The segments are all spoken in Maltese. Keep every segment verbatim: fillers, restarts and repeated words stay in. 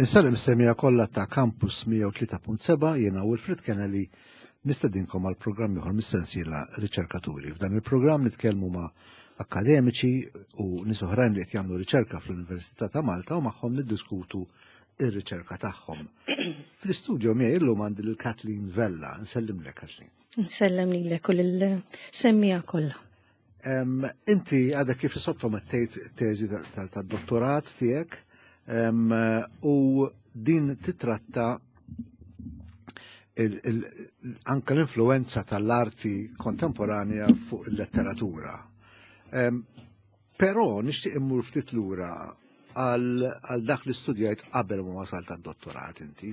Insellem is-semmiegħa kollha ta' Campus mija u tlieta punt seba'. Jiena Wilfred Kennedy, nistedinkom għal programm ieħor mis-sensiela Riċerkaturi. F'dan il-programm nitkellmu ma' akademiċi u nies oħrajn li qed jagħmlu riċerka fl-Università ta' Malta u magħhom niddiskutu ir-riċerka tagħhom. Fl-istudio miegħi illum għandi lil Kathleen Vella. Nsellimlek, Kathleen. Nsellem lilek u lill-semmiegħa kollha. Inti għadek kif sottomettejt teżi tad-dottorat tiegħek u din titratta anka l-influenza tal-arti kontemporanja fuq il-letteratura. Però nixtieq immur ftit lura għal dak li studjajt qabel ma wasalt għad-dottorat inti.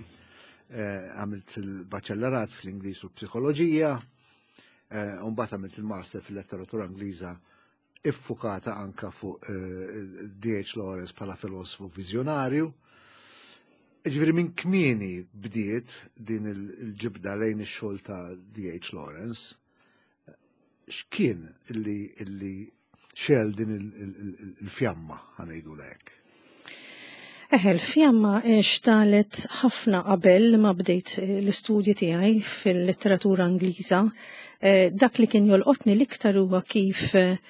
Eh, għamilt il-baċellerat fl-Ingliż u psikoloġija, eh, u mbagħad għamilt il-master fil-letteratura Ingliża iffukata anka fuq eh, D H. Lawrence bħala filosofu viżjonarju. Ġifieri minn kmieni bdiet din il-ġibda lejn ix-xogħol ta' D H. Lawrence. X'kien illi illi xegħel din il-fjamma, ħa ngħidu lek? Eħe, l-fjamma xtegħlet ħafna qabel ma bdejt l-istudji tiegħi fil-letteratura Ingliża. Eh, dak li kien jolqotni l-iktar huwa kif eh,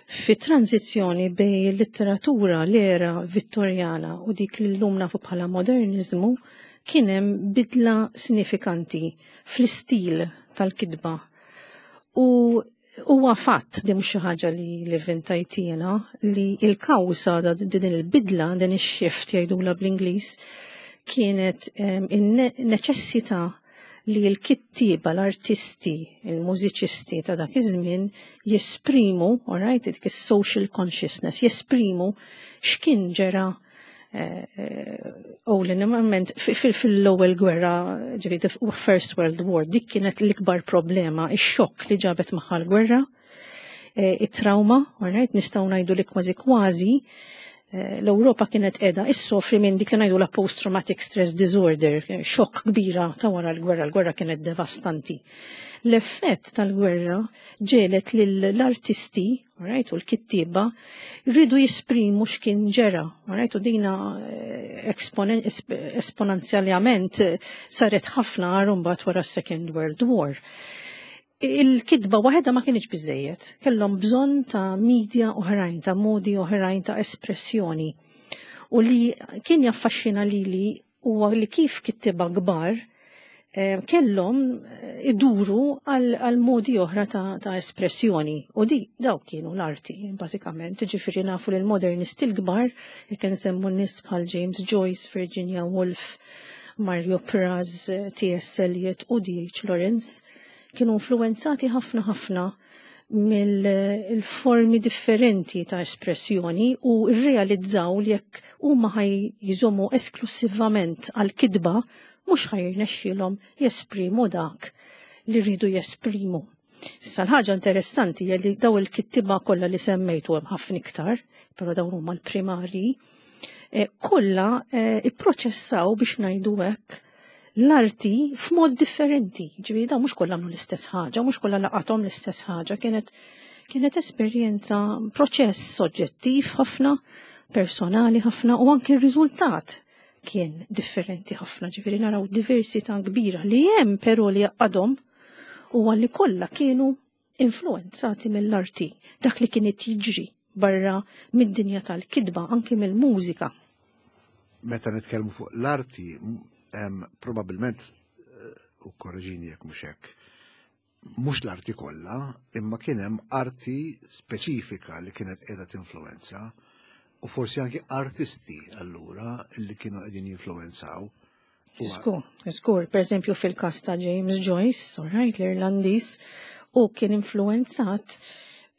fi tranzizzjoni bejn il-letteratura l-era Vittorjana u dik li llum nafu bħala modernizmu kien hemm bidla sinifikanti fl-istil tal-kitba. U huwa fatt, di mhux xi ħaġa li li vvintajt jiena, li il-kawża din il-bidla, din ix-shift jgħidula bl-Ingliż, kienet in-neċessità li l-kittiba, l-artisti, il-mużiċisti ta' dak iż-żmien jesprimu, all right, dik is-social consciousness, jesprimu x'kien ġera u l fil-ewwel gwerra, ġifieri First World War, dik kienet l-ikbar problema, ix-xokk li ġabet magħha l-gwerra, it-trauma, right, nistgħu ngħidu li kważi kważi l-Ewropa kienet qiegħda issofri minn dik li ngħidu la post-traumatic stress disorder, xokk kbira ta' wara l-gwerra, l-gwerra kienet devastanti. L-effett tal-gwerra ġegħlet lill-artisti, right, u l-kittiba, rridu jesprimu x'kien ġera, right, u dina esponenzjalment saret ħafna mbagħad wara Second World War. Il-kitba waħedha ma kienx biżejjed, kellhom bżonn ta' media oħrajn, ta' modi oħrajn ta' espressjoni. U li kien jaffaxxina lili huwa li kif kittiba kbar kellhom iduru għal modi oħra ta', ta espressjoni. U di daw kienu l-arti, bażikament. Ġifieri nafu li l-modernisti l-kbar, jekk nsemmu nies bħal James Joyce, Virginia Woolf, Mario Praz, T S. Eliot u D H. Lawrence, kienu influenzati ħafna ħafna mill-formi differenti ta' espressjoni u rrealizzaw li jekk huma ħa jżommu esklusivament għal-kitba, mhux ħa jirnexxilhom jesprimu dak li rridu jesprimu. Issa l-ħaġa interessanti hija li daw il-kittiba kollha li semmejtu, hemm ħafna iktar, però dawn huma l-primarji, eh, kollha eh, ipproċessaw, biex ngħidu hekk, l-arti f'mod differenti. Ġifieri daw mhux kollha għamlu l-istess ħaġa, mhux kollha laqathom l-istess ħaġa, kienet kienet esperjenza, proċess soġġettiv ħafna, personali ħafna u anki r-riżultat kien differenti ħafna, ġifieri naraw diversità kbira li hemm, però li għadhom u għalli kollha kienu influenzati mill-arti, dak li kien jiġri barra mid-dinja tal-kitba, anki mill-mużika. Meta nitkellmu fuq l-arti, probabilment, eh, u korreġini jekk mhux hekk, mhux l-arti kollha, imma kien hemm arti speċifika li kienet qiegħda tinfluenza u forsi anki artisti allura li kienu qegħdin jinfluenzaw. Żgur, żgur, per eżempju fil-kas ta' James Joyce, all right, l-Irlandiż, u kien influenzat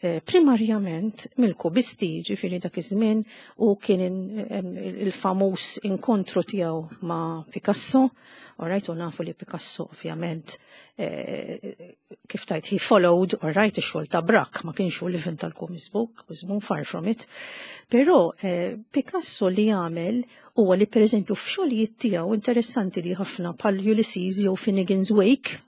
eh, primarjament mill-kubisti, ġifieri dak iż-żmien u kien il-famuż inkontru tiegħu ma' Picasso, all right, u nafu li Picasso ovvjament eh, kif tajt he followed, all right, ix-xogħol ta' Braque, ma kienx hu li vvinta l-kubismu, far from it. Però eh, Picasso li għamel huwa li, per eżempju, f'xogħlijiet tiegħu interessanti di ħafna bħal Ulysses jew Finnegan's Wake,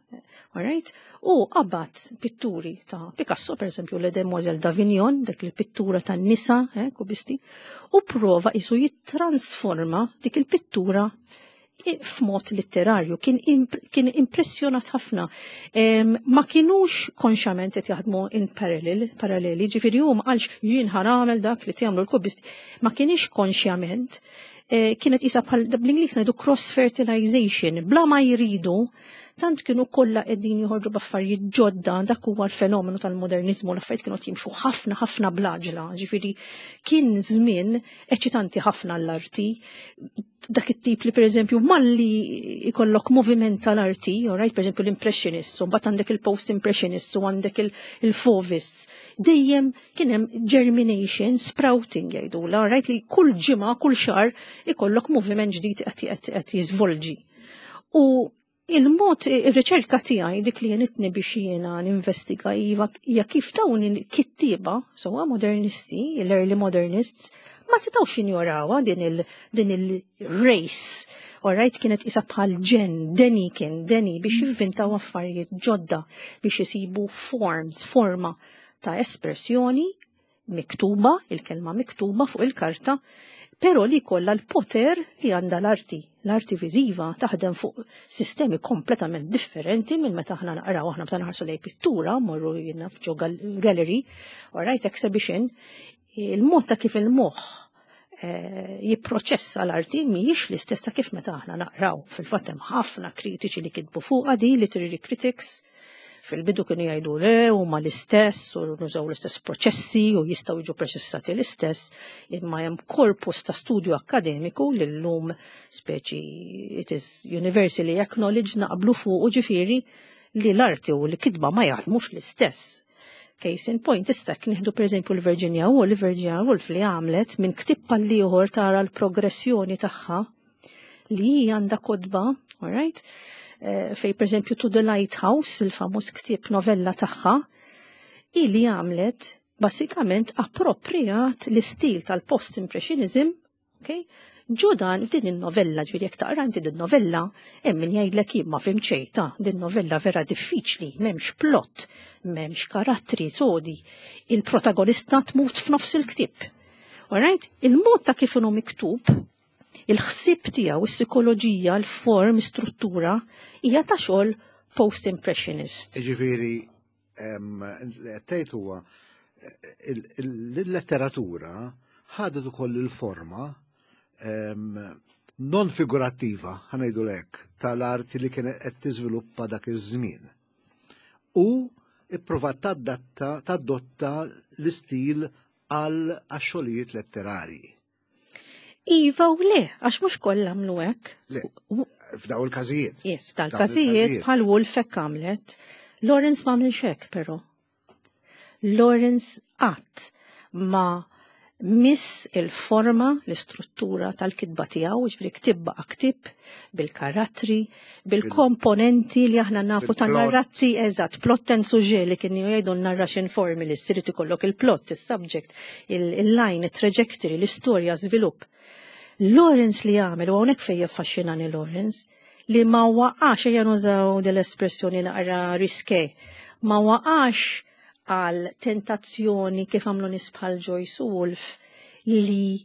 Alright? U qabad pitturi ta' Picasso, per esempio, Les Demoiselles d'Avignon, dik il-pittura ta' nisa, eh, kubisti, u prova isu jittransforma dik il-pittura f'mod litterarju, kien, imp kien impressjonat ħafna. Um, ma kienux konxament qed jaħdmu in parallel, paralleli, ġifieri hu ma qalx jien ħa nagħmel dak li jagħmlu l-kubisti, ma kienx konxjament, eh, kienet isa bħal bl-Ingliż ngħidu cross fertilization, bla ma jridu, tant kienu kollha qegħdin joħorġu b'affarijiet ġodda, dak huwa l-fenomenu tal-modernizmu, l-affarijiet kienu jimxu ħafna ħafna bl-għaġla, ġifieri kien żmien eċitanti ħafna l-arti, dak it-tip li pereżempju malli ikollok moviment tal-arti, right, pereżempju l-impressionists, u mbagħad għandek il-post-impressionists u għandek il-fauvists, dejjem kien hemm germination, sprouting jgħidula, right, li kull ġimgħa, kull xahar ikollok moviment ġdid qed jiżvolġi. U il-mod, il-riċerka tiegħi dik li għenitni biex jiena ninvestiga iva hija kif dawn il-kittieba, sewwa modernisti, l-early modernists, ma setgħux jinjorawha din il din il-race. Alright, kienet isa bħal ġen, deni kien, deni biex jivvintaw affarijiet ġodda biex jisibu forms, forma ta' espressjoni miktuba, il-kelma miktuba fuq il-karta, pero li kolla l-poter li għanda l-arti. L-arti viżiva taħdem fuq sistemi kompletament differenti minn meta aħna naqraw, aħna meta nħarsu lej pittura, morru jiena f'ġo gallery, right, exhibition, il-mod ta' kif il-moħħ eh, jipproċessa l-arti mhijiex l-istess ta' kif meta aħna naqraw. Fil-fatt hemm ħafna kritiċi li kitbu fuqha di, literary critics, fil-bidu kienu jgħidu le huma l-istess u nużaw l-istess proċessi u jistgħu jiġu proċessati l-istess, imma hemm korpus ta' studju akkademiku li llum speċi it is universally acknowledged, naqblu fuq u ġifieri li l-arti u l-kitba ma jaħdmux l-istess. Case in point, issa nieħdu per eżempju l-Virginia Woolf, Virginia Woolf li għamlet minn ktib għal ieħor tara l-progressjoni tagħha li għandha kotba, all right? Eh, fej per eżempju To the Lighthouse, il-famuż ktieb novella tagħha, ili għamlet basikament appropriat l-istil tal-post-impressionism, okay? Ġo dan din il-novella, ġifieri jekk taqra inti din novella, hemm min jgħidlek jien ma fhimt xejn ta', din novella vera diffiċli, m'hemmx plot, m'hemmx karattri sodi, il-protagonista tmut f'nofs il-ktieb. Alright? Il-mod ta' kif inhu miktub, il-ħsieb tiegħu, is-psikoloġija, l-form, struttura, hija ta' xogħol post-impressionist. Ġifieri, tgħid huwa il-letteratura ħadet ukoll il-forma non figurattiva, ħa ngħidu lek, tal-arti li kienet qed tiżviluppa dak iż-żmien. U ipprovat tadatta tadotta l-istil għal xogħlijiet letterarji. Iva u le, għax mhux kollha għamlu hekk. Le, f'daw il-każijiet. Yes, f'daw il-każijiet bħal Woolf hekk għamlet. Lawrence ma għamilx hekk però. Lawrence qatt ma miss il-forma, l-istruttura tal-kitba tiegħu, ġifieri ktieb baqa' ktieb bil-karattri, bil-komponenti li aħna nafu ta' Bil-plot. narratti, eżatt, plot and sujet li kienu jgħidu narration formulas, irid ikollok il-plot, il-subject, il-line, il-trajectory, l-istorja, żvilupp. Lawrence li għamel, u hawnhekk fejn jaffaxxinani Lawrence, li ma waqax, ejja nużaw dell-espressjoni naqra risqué, ma waqax għal tentazzjoni kif għamlu nies bħal Joyce u Woolf li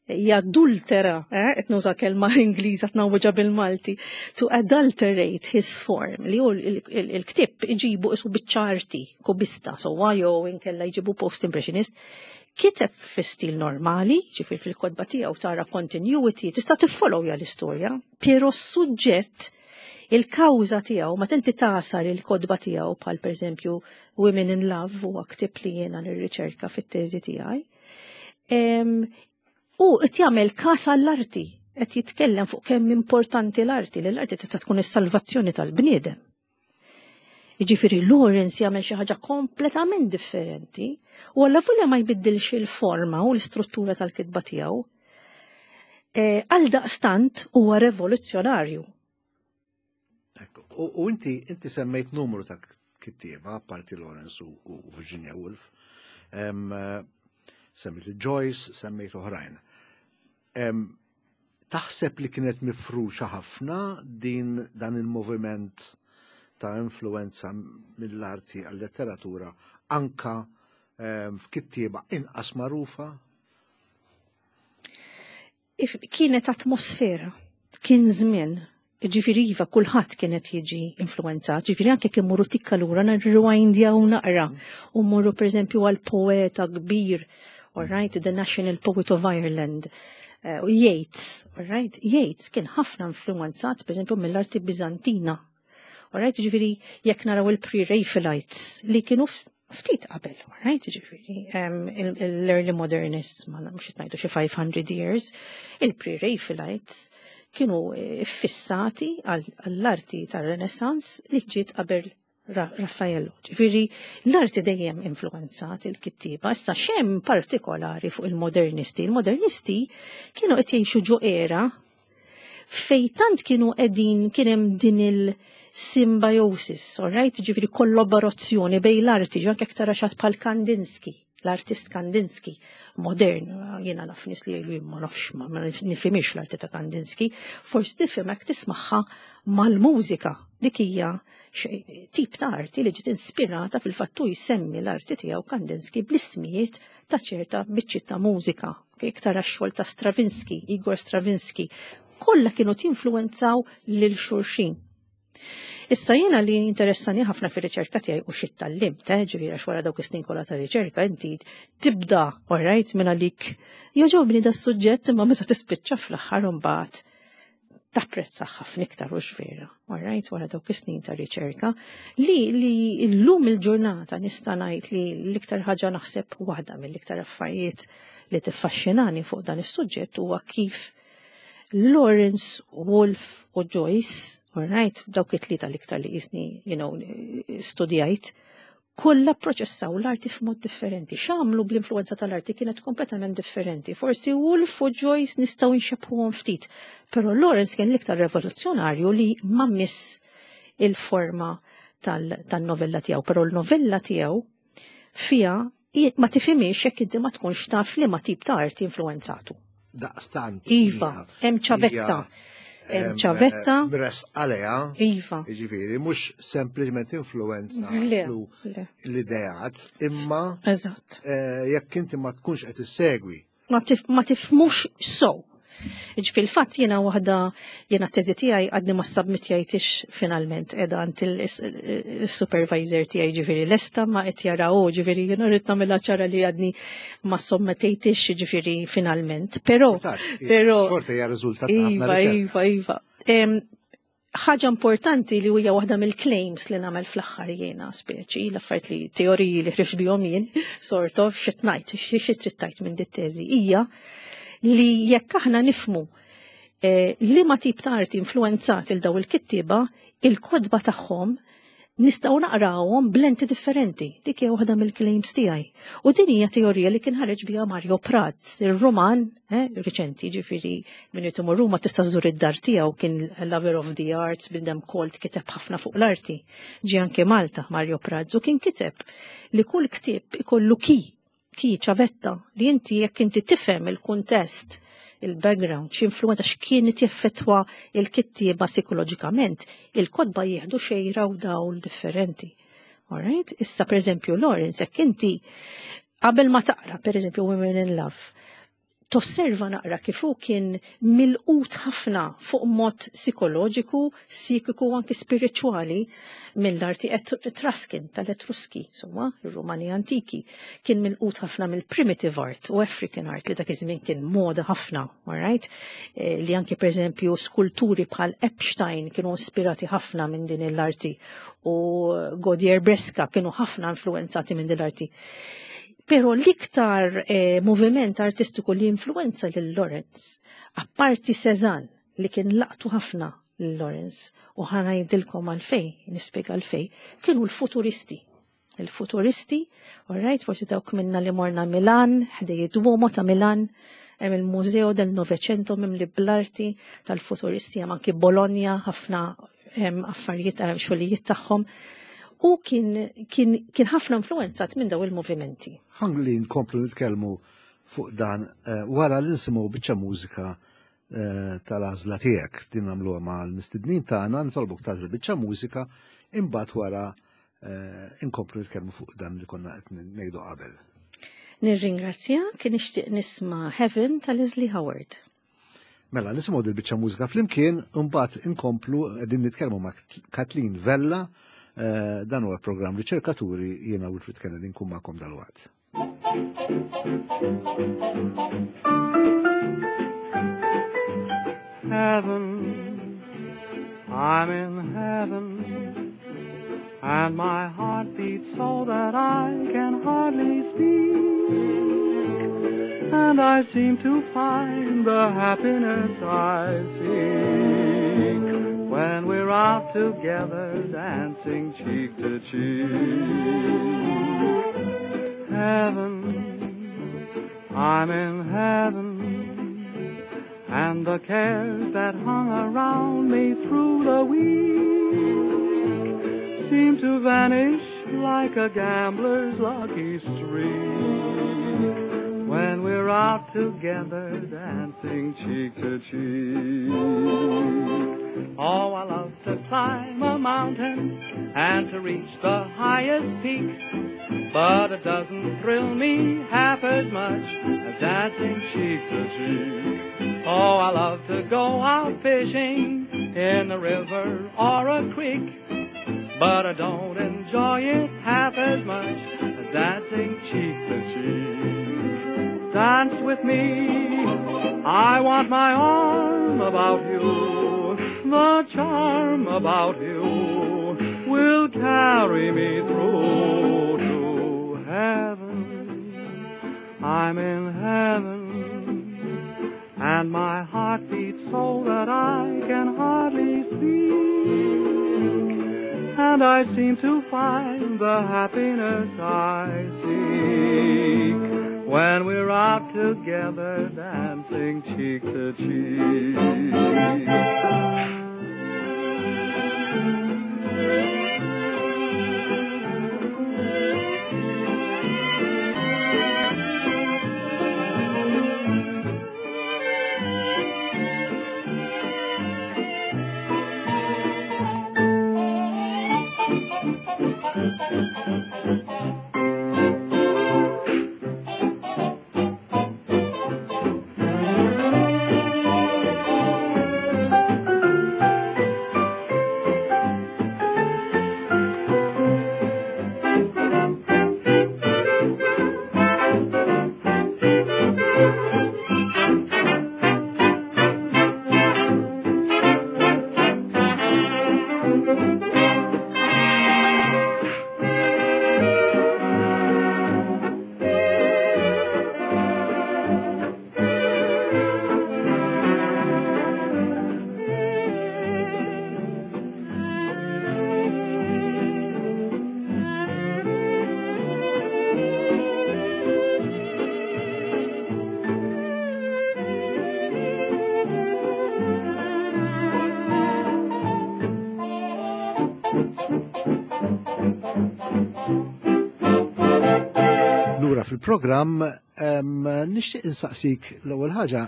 jadultera, eh, qed nuża kelma Ingliża tnawweġa bil-Malti, to adulterate his form, li hu il-ktib iġibu isu biċ-ċarti, kubista, so jew inkella jġibu post-impressionist, kiteb fi stil normali, ġifieri fil-kotba tiegħu tara continuity, tista' tiffollowja l-istorja, pero s-suġġett, il-kawża tiegħu, ma tenti tasar il-kotba tiegħu bħal pereżempju Women in Love huwa ktib li jiena nirriċerka fit-teżi tiegħi. U qed jagħmel każ għall-arti, qed jitkellem fuq kemm importanti l-arti, li l-arti tista' tkun is-salvazzjoni tal-bniedem. Jiġifieri Lawrence jagħmel xi ħaġa kompletament differenti u allavolja ma jbiddilx il-forma u l-istruttura tal-kitba tiegħu. Eh, għal daqstant huwa revoluzzjonarju. Ekku, U u inti inti semmejt numru ta' kittieba, parti Lawrence u, u Virginia Woolf. Em, eh, semmejt Joyce, semmejt oħrajn. Em, taħseb li kienet mifruxa ħafna din dan il-moviment Ta' influenza mill-arti għal-letteratura anka ehm, f'kittieba inqas magħrufa? Kienet atmosfera, kien żmien. Ġifieri iva, kulħadd kienet jiġi influenzat, ġifieri anke kien morru tikka lura nirrewindjaw naqra u morru, pereżempju, għal poeta kbir, all right, the National Poet of Ireland, uh, Yeats, all right, Yeats kien ħafna influenzat, pereżempju, mill-arti Bizantina. All right, ġifieri jekk naraw il-Pre-Raphaelites li kienu ftit qabel, right, ġifieri, l-early modernists, ma mhux ngħidu xi five hundred years, il-Pre-Raphaelites kienu eh, fissati għall-arti tar-Renaissance li ġiet qabel Raffaello. Ġifieri, l-arti dejjem influenzat il-kittiba. Issa x'hemm partikolari fuq il-modernisti? Il-modernisti kienu qed jgħixu ġo era fej tant kienu qegħdin kien hemm din il-symbiosis, all right? Ġifieri kollaborazzjoni bejn l-arti, ġo anke tara xi ħadd bħal Kandinsky, l-artist Kandinsky, modern, jiena naf nies li jgħidu ma nafx, ma nifhimx l-arti ta' Kandinsky, forsi tifhimha tismagħha mal-mużika. Dik hija tip ta' arti li ġiet inspirata, fil-fattu jsemmi l-arti tiegħu Kandinsky bl-ismijiet ta' ċerta biċċiet ta' mużika. Iktar xogħol ta' Stravinsky, Igor Stravinsky, kollha kienu tinfluenzaw lil xulxin. Issa jiena li interessani ħafna fir-riċerka tiegħi u x'tgħallimt, eh, ġifieri għax wara dawk is-snin kollha ta' riċerka inti tibda, all right, minn għalik jogħġobni da suġġett, imma meta tispiċċa fl-aħħar imbagħad tapprezza ħafna iktar u vera, all right, wara dawk is-snin ta' riċerka, li li llum il-ġurnata nista' ngħid li l-iktar ħaġa, naħseb waħda mill-iktar affarijiet li tiffaxxinani fuq dan is-suġġett, huwa kif Lawrence, Woolf u Joyce, all right, dawk it-tlieta l-iktar li jisni, you know, studjajt, kollha proċessaw l-arti f'mod differenti. X'għamlu bl-influenza tal-arti kienet kompletament differenti. Forsi Woolf u Joyce nistgħu nxebħuhom ftit, però Lawrence kien l-iktar revoluzzjonarju li ma miss il-forma tal-novella tiegħu, però l-novella tiegħu fija ma tifhimix jekk inti ma tkunx taf li ma tip ta' arti influenzatu. Daqstant. Iva, hemm ċavetta. Hemm ċavetta. Bres għalija. Iva. Ġifieri, mhux sempliċement influenza l-ideat, imma. Eżatt. Eh, jekk inti ma tkunx qed issegwi. Ma tifhmux so. Ġifieri fil-fatt jiena waħda, jiena teżi tiegħi għadni ma submitjajtix finalment, qiegħda għand il-supervisor tiegħi, ġifieri lesta ma qed jaraw, ġifieri jiena rrid nagħmilha ċara li għadni ma submitejtix ġifieri finalment. Però però xorta hija riżultat. Iva, iva, iva. Ħaġa importanti li hija waħda mill-claims li nagħmel fl-aħħar jiena, speċi l-affarijiet li teoriji li ħriġt bihom jien, sort of xi tgħid, xi trid tgħid minn dit-teżi, hija li jekk aħna nifhmu eh, li ma tip ta' arti influenzat il daw il-kittiba, il-kotba tagħhom nistgħu naqrawhom b'lenti differenti. Dik hija waħda mill-claims tiegħi. U din hija teorija li kien ħareġ biha Mario Praz, ir-Roman, eh, riċenti, ġifieri minn imur Ruma tista' żżur id-dar tiegħu, kien lover of the arts, bniedem kolt, kiteb ħafna fuq l-arti. Ġie anke Malta Mario Praz u kien kiteb li kull ktieb ikollu key key ċavetta li inti jekk inti tifhem il-kuntest, il-background, x'influenza, x'kienet jeffettwa il-kittieba psikoloġikament, il-kotba jieħdu xejra u dawl differenti. Alright? Issa, per eżempju, Lawrence, jekk inti qabel ma taqra, per eżempju, Women in Love, tosserva naqra kif hu kien milqut ħafna fuq mod psikoloġiku, psikiku u anki spirituali mill-arti Etruscan, tal-Etruski, insomma, il-Rumani antiki. Kien milqut ħafna mill-primitive art u African art li dak iż-żmien kien moda ħafna, alright? E, li anki, per eżempju, skulturi bħal Epstein kienu ispirati ħafna minn din l-arti u Gaudier Bresca kienu ħafna influenzati minn din l-arti. Pero l-iktar eh, moviment artistiku li influenza lil Lawrence, apparti Cézanne li kien laqtu ħafna lil Lawrence, u ħa ngħidilkom għalfejn, nispjega għalfejn, kienu l-futuristi. Il-futuristi, all right, forsi dawk minna li morna Milan, ħdejn id-Duomo ta' Milan, hemm il-Museo del Novecento mimli bl-arti tal-futuristi, hemm anki Bologna ħafna affarijiet, xogħlijiet tagħhom, u kien, kien, kien ħafna influenzat minn daw il-movimenti. Ħalli nkomplu nitkellmu fuq dan eh, wara li nisimgħu biċċa mużika. eh, tal-għażla tiegħek. Din nagħmluha mal-mistednin tagħna, nitolbuk tagħżel biċċa mużika, imbagħad wara eh, inkomplu nitkellmu fuq dan li konna qed ngħidu qabel. Nirringrazzjak, nixtieq nisma' Heaven ta' Leslie Howard. Mela, nisimgħu dil-biċċa mużika flimkien, imbagħad inkomplu qegħdin nitkellmu ma' Kathleen Vella, eh, dan huwa programm Riċerkaturi, jiena Wilfred Kennedy nkun magħkom dalwaqt. Heaven, I'm in heaven, and my heart beats so that I can hardly speak, and I seem to find the happiness I seek when we're out together dancing cheek to cheek. Heaven, I'm in heaven, and the cares that hung around me through the week seem to vanish like a gambler's lucky streak when we're out together dancing cheek to cheek. Oh, I love to climb a mountain and to reach the highest peak, but it doesn't thrill me half as much as dancing cheek to cheek. Oh, I love to go out fishing in a river or a creek, but I don't enjoy it half as much as dancing cheek to cheek. Dance with me, I want my arm about you, the charm about you will carry me through to heaven. I'm in heaven, and my heart beats so that I can hardly speak, and I seem to find the happiness I seek when we're out together dancing cheek to cheek. Lura fil-programm, nixtieq insaqsik l-ewwel ħaġa,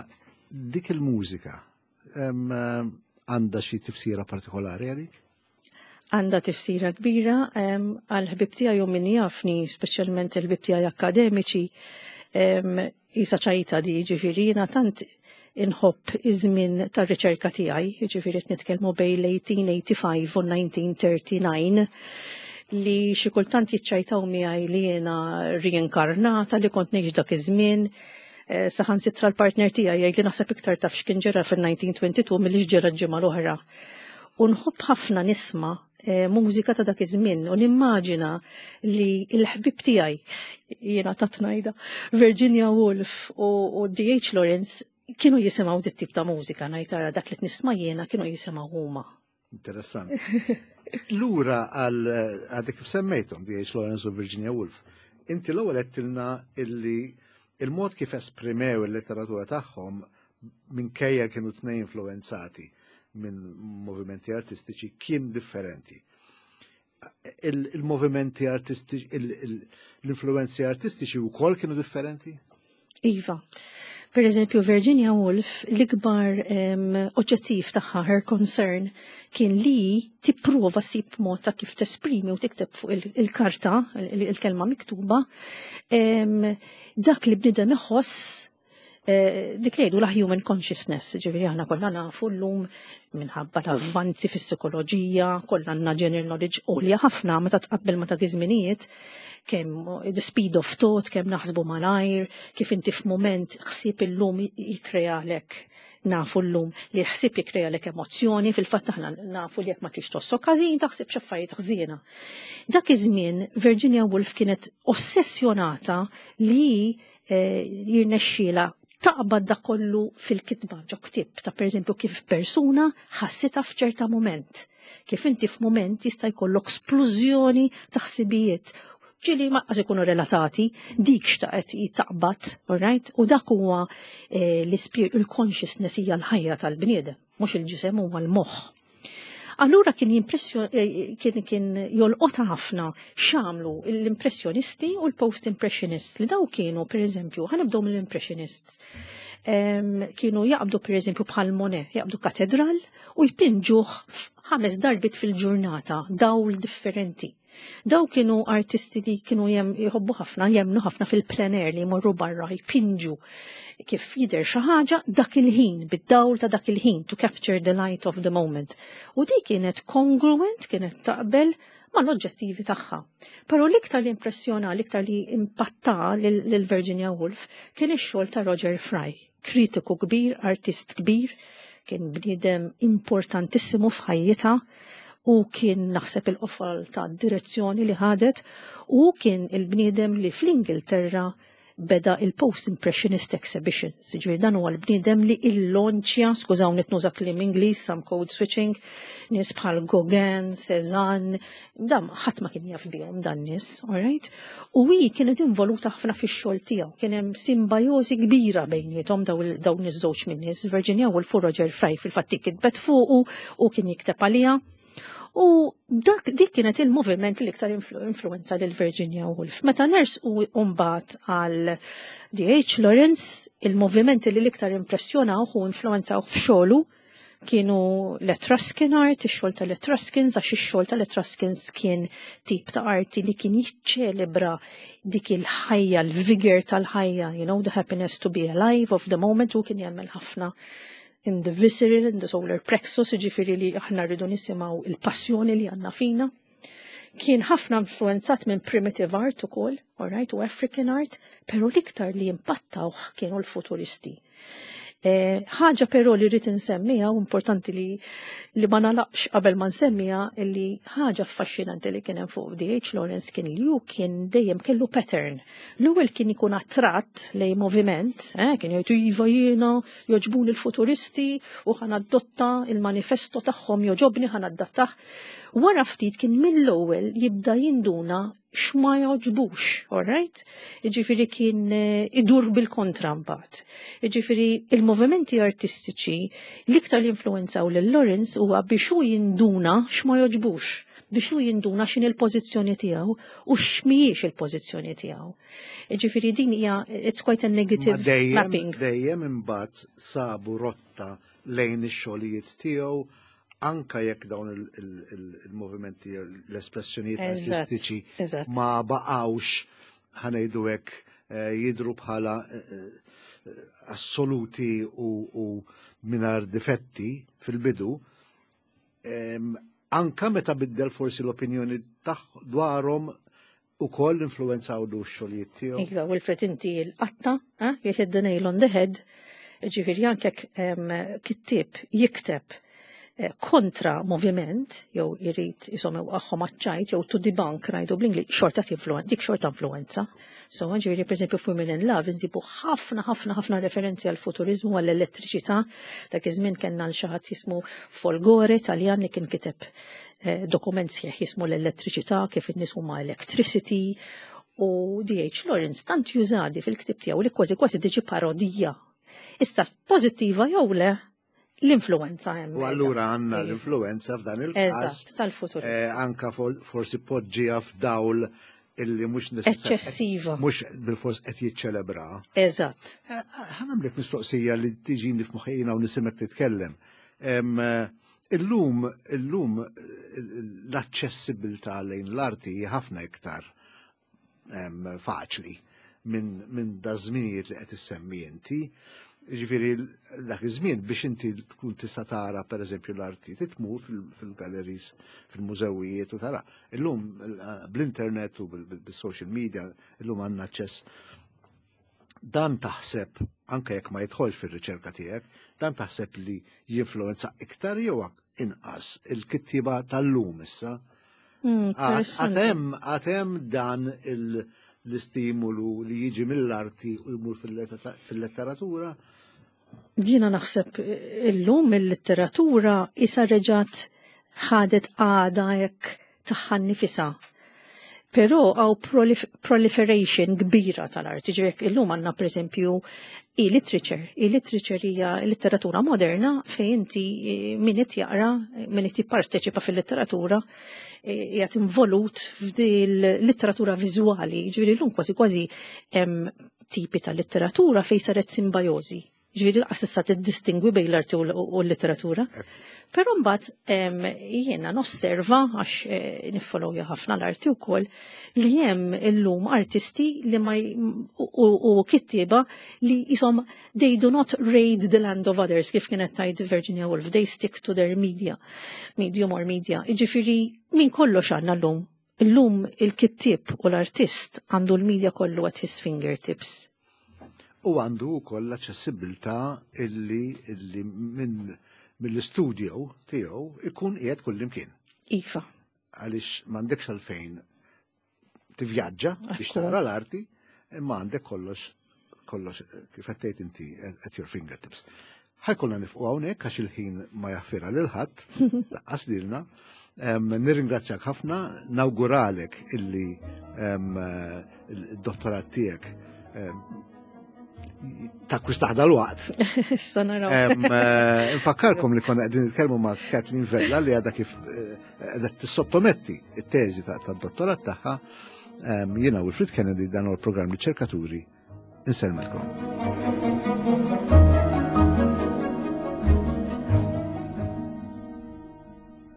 dik il-mużika għandha xi tifsira partikolari għalik? Għandha tifsira kbira għal ħbib tiegħi u min jafni, speċjalment il-ħbib tiegħi akademiċi, isa ċajta di, ġifieri jiena tant inħobb iż-żmien tar-riċerka tiegħi, jiġifieri qed nitkellmu bejn l-eighteen eighty-five u nineteen thirty-nine, li xi kultant jiċċajtaw miegħi li jiena reinkarnata li kont ngħix dak iż-żmien. Eh, saħansitra l-partner tiegħi jgħid li naħseb iktar taf x'kien ġara fil-nineteen twenty-two milli x'ġara l-ġimgħa l-oħra. U nħobb ħafna nisma', eh, mużika ta' dak iż-żmien u nimmaġina li l-ħbib tiegħi, jiena ta' tnajda, Virginia Woolf u, u D H Lawrence kienu jisimgħu dit tip ta' mużika, ngħid ara dak li nisma' jiena kienu jisimgħu huma. Interessanti. Lura għal għadek kif semmejthom D H Lawrence u Virginia Woolf, inti l-ewwel għedtilna illi il-mod kif esprimew il-letteratura tagħhom minkejja kienu tnejn influenzati minn movimenti artistiċi kien differenti. Il-, il-movimenti artistiċi, il-, il-, l-influenzi artistiċi wkoll kienu differenti? Iva. Per eżempju, Virginia Woolf, l-ikbar oġġettiv tagħha, her concern, kien li tipprova ssib mod ta' kif tesprimi u tikteb fuq il-karta, il-kelma miktuba, dak li bniedem iħoss, eh, dik li jgħidu la human consciousness, ġifieri aħna kollha nafu llum minħabba l-avvanzi fis-psikoloġija, kollha għandna general knowledge għolja ħafna meta tqabbel ma ta' żminijiet, kemm the speed of thought, kemm naħsbu malajr, kif inti f'mument ħsieb illum jikrealek, nafu llum li ħsieb jikrealek emozzjoni, fil-fatt aħna nafu li jekk ma tix tossok ħażin taħseb x'affarijiet ħżiena. Dak iż-żmien Virginia Woolf kienet ossessjonata li eh, jirnexxiela taqbad da kollu fil-kitba ġo ktieb ta', per eżempju, kif persuna ħassitha f'ċerta moment. Kif inti f'mument jista' jkollok splużjoni ta' ħsibijiet ġieli ma ikunu relatati, dik xtaqet taqbad, alright? U dak huwa eh, l-spirit, il-consciousness hija l-ħajja tal-bniedem, mhux il-ġisem, huwa l-moħħ. Allura kien eh, kien kien jolqota ħafna x'għamlu l-impressjonisti u l-post-impressionists, li daw kienu, per eżempju, ħa nibdew mill-impressionists. Kienu jaqbdu, per eżempju, bħal Monet, jaqbdu katedral u jpinġuh ħames darbit fil-ġurnata, dawl differenti. Daw kienu artisti li kienu jem jħobbu ħafna, jemnu ħafna fil-plein air, li jmorru barra jpinġu kif jidher xi ħaġa dak il-ħin, bid-dawl ta' dak il-ħin, to capture the light of the moment. U di kienet congruent, kienet taqbel ma l-oġġettivi tagħha. Però l-iktar li impressjona, l-iktar li impatta lil Virginia Woolf kien ix-xogħol ta' Roger Fry, kritiku kbir, artist kbir, kien bniedem importantissimu f'ħajjitha u kien naħseb il-qofol ta' direzzjoni li ħadet, u kien il-bniedem li fl-Ingilterra beda il-Post-Impressionist Exhibitions. Ġifieri dan huwa l-bniedem li il-lonċja, skużawni nuża kliem Ingliż, some code switching, nies bħal Gauguin, Cézanne, dam ħadd ma kien jaf bihom dan nies, alright? U hi kienet involuta ħafna fix-xogħol tiegħu, kien hemm simbajosi kbira bejniethom dawn iż-żewġ min nies, Virginia Woolf u Roger Fry. Fil-fatt kitbet fuqu u kien jikteb għaliha. U dak dik kienet il-moviment li iktar influenza lil Virginia Woolf. Meta ners u mbagħad għal D H. Lawrence, il-movimenti li l-iktar impressjonaw u influenzaw f'xogħlu kienu l-Etruscan art, ix-xogħol tal-Etruscans, għax ix-xogħol tal-Etruscans kien tip ta' arti li kien jiċċelebra dik il-ħajja, l-vigor tal-ħajja, you know, the happiness to be alive of the moment, u kien jagħmel ħafna in the visceral, in the solar plexus, ġifieri li aħna rridu nisimgħu il-passjoni li għandna fina. Kien ħafna influenzat minn primitive art ukoll, alright, u African art, pero l-iktar li impattawh kienu l-futuristi. Eh, ħaġa però li rrid insemmiha, u importanti li li ma nalaqx qabel ma nsemmiha, li ħaġa affaxxinanti li kien hemm fuq D H. Lawrence kien li hu kien dejjem kellu pattern. L-ewwel kien ikun attratt lej moviment, eh, kien jgħidu iva, jiena jogħġbuni l-futuristi u ħa nadotta il-manifesto tagħhom, jogħġobni, ħa nadattah. Wara ftit kien mill-ewwel jibda jinduna x'ma jogħġbux, alright? Jiġifieri kien eh, idur bil-kontra mbagħad. Jiġifieri il-movimenti artistiċi l-iktar li influenzaw lil Lawrence huwa biex hu jinduna x'ma jogħġbux, biex hu jinduna x'in il-pożizzjoni tiegħu u x'mhijiex il-pożizzjoni tiegħu. Jiġifieri din hija, it's quite a negative Ma dejjem, mapping. Dejjem imbagħad sabu rotta lejn ix-xogħlijiet tiegħu, anka jekk dawn il- il- il- il-movimenti, l-espressjonijiet Eżatt, artistiċi eżatt. ma baqgħux, ħa ngħidu hekk, eh, jidru bħala eh, eh, assoluti u, u mingħajr difetti fil-bidu, em, anka meta biddel forsi l-opinjoni taħ dwarhom ukoll influenzaw lu x-xogħlijiet tiegħu. Iva, Wilfred, inti l-qatta, eh, you hit the nail on the head, ġifieri anke em, kittib jikteb eh, kontra moviment, jew jrid jisom għaxħom għaċċajt, jew to debunk, ngħidu bl-Ingliż, xorta tinfluen, dik xorta influenza. So, ġifieri, per esempio, Women in Love, nsibu ħafna, ħafna, ħafna referenzi għal futurizmu, għall elettriċità. Dak iż-żmien kellna l xi ħadd jismu Folgore, Taljan, li kien kiteb eh, dokument sħiħ jismu l-elettriċità, kif in-nies huma electricity, u D H. Lawrence tant jużadi fil-ktib tiegħu li kważi kważi diġi parodija. Issa, pożittiva jew le, l-influenza hemm. U allura għandna l-influenza f'dan il-każ. Eżatt, tal-futur. eh, anka for- forsi poġġija f'dawl Illi mhux eċċessiva. Mhux bilfors qed jiċċelebra. Eżatt. Eh, ħa nagħmlek mistoqsija li tiġini f'moħħi jiena u nismgħek titkellem. Illum, illum l-aċċessibilità lejn l-arti ħafna iktar faċli minn min da żminijiet li qed issemmi inti. Ġifieri dak iż-żmien biex inti tkun tista' tara, pereżempju, l-arti, tmur fil-galleries, fil-mużewijiet u tara. Illum bl-internet u bil-social media illum għandna aċċess. Dan taħseb, anke jekk ma jidħolx fir-riċerka tiegħek, dan taħseb li jinfluenza iktar jew inqas il-kittiba tal-lum issa? Mm, Għad hemm għad hemm dan l-istimulu li jiġi mill-arti u jmur fil-letteratura? Jiena naħseb illum il-letteratura issa reġgħet ħadet għada hekk tagħha nnifisha. Però hawn proliferation kbira tal-arti. Ġifieri illum għandna, per eżempju, e-literature. E-literature hija letteratura moderna fejn inti, eh, min qed jaqra, min qed jipparteċipa fil-letteratura, eh, qiegħed involut f'dil-letteratura viżwali. Ġifieri llum kważi kważi hemm tipi ta' letteratura fejn saret simbiożi. Ġifieri lanqas tista' tiddistingwi bejn l-arti u l-letteratura. Però mbagħad jiena nosserva, għax eh, niffollowja ħafna l-arti wkoll, li hemm illum artisti li ma u kittieba li jisom they do not raid the land of others, kif kienet tgħid Virginia Woolf, they stick to their media, medium or media. Ġifieri minn kollox għandna llum. Illum il-kittieb u l-artist għandu l-media kollu at his fingertips. U għandu wkoll l-aċċessibilità illi illi minn mill-studio tiegħu ikun qiegħed kullimkien. Iva. Għaliex m'għandekx għalfejn tivvjaġġa biex tara l-arti, imma għandek kollox kollox, kif qed inti, at your fingertips. Ħa jkollna nieqfu hawnhekk għax il-ħin ma jaħfirha lil ħadd, lanqas lilna. Nirringrazzjak ħafna, nawguralek illi il-dottorat tiegħek takkwistah dalwaqt. Issa naraw. Eh, Nfakkarkom li konna qegħdin nitkellmu ma' Kathleen Vella li għadha kif eh, qiegħda tissottometti it-teżi tad-dottorat tagħha. Jiena Wilfred Kennedy, dan huwa l-programm Riċerkaturi. Insellmilkom.